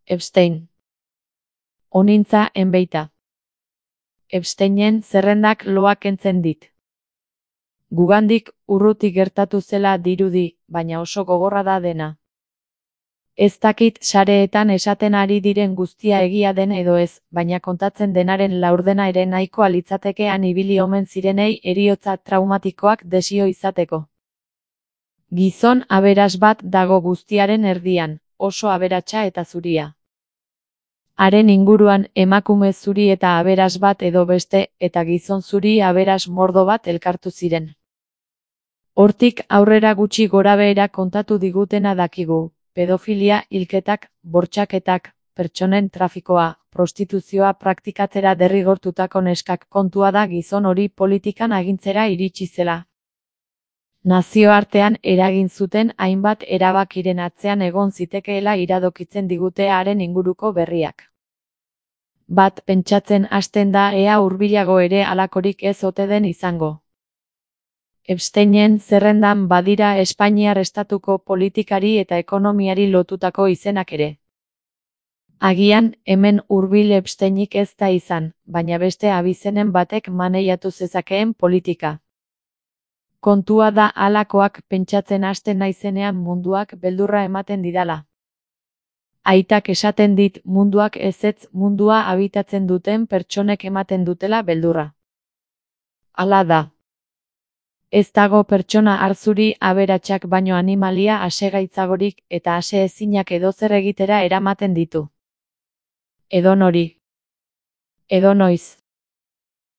Epstein. Onintza enbeita. Epsteinen zerrendak loak kentzen dit. Gugandik urruti gertatu zela dirudi, baina oso gogorra da dena. Ez dakit sareetan esaten ari diren guztia egia den edo ez, baina kontatzen denaren laurdena ere nahikoa litzatekean ibili omen zirenei heriotza traumatikoak desio izateko. Gizon aberas bat dago guztiaren erdian, oso aberatsa eta zuria. Haren inguruan emakume zuri eta aberas bat edo beste, eta gizon zuri aberas mordo bat elkartu ziren. Hortik aurrera gutxi gorabehera kontatu digutena dakigu. Pedofilia, hilketak, bortxaketak, pertsonen trafikoa, prostituzioa praktikatzera derrigortutako neskak kontua da gizon hori politikan agintzera iritsi zela. Nazioartean eragin zuten hainbat erabakiren atzean egon zitekeela iradokitzen digute haren inguruko berriak. Bat pentsatzen hasten da ea hurbilago ere halakorik ez ote den izango. Epsteinen zerrendan badira Espainiar estatuko politikari eta ekonomiari lotutako izenak ere. Agian, hemen hurbil Epsteinik ez da izan, baina beste abizenen batek maneiatu zezakeen politika. Kontua da halakoak pentsatzen hasten naizenean munduak beldurra ematen didala. Aitak esaten dit munduak ezetz mundua habitatzen duten pertsonek ematen dutela beldurra. Hala da. Ez dago pertsona arzuri aberatsak baino animalia asegaitzagorik eta aseezinak edozer egitera eramaten ditu. Edonori. Edonoiz.